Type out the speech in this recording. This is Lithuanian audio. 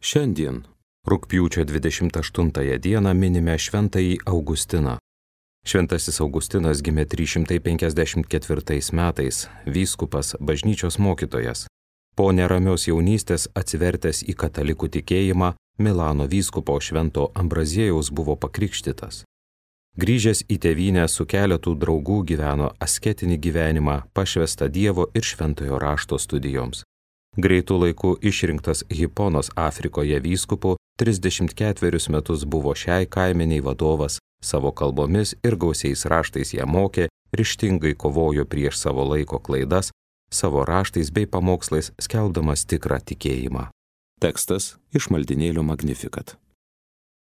Šiandien, rugpjūčio 28 dieną, minime šventąjį Augustiną. Šventasis Augustinas gimė 354 metais, vyskupas, bažnyčios mokytojas. Po neramios jaunystės atsivertęs į katalikų tikėjimą, Milano vyskupo Švento Ambraziejaus buvo pakrikštytas. Grįžęs į tėvynę su keletu draugų gyveno asketinį gyvenimą, pašvestą Dievo ir šventojo rašto studijoms. Greitų laikų išrinktas Hiponos Afrikoje vyskupu, 34 metus buvo šiai kaimeniai vadovas, savo kalbomis ir gausiais raštais ją mokė, ryžtingai kovojo prieš savo laiko klaidas, savo raštais bei pamokslais skelbdamas tikrą tikėjimą. Tekstas iš maldynėlio Magnificat.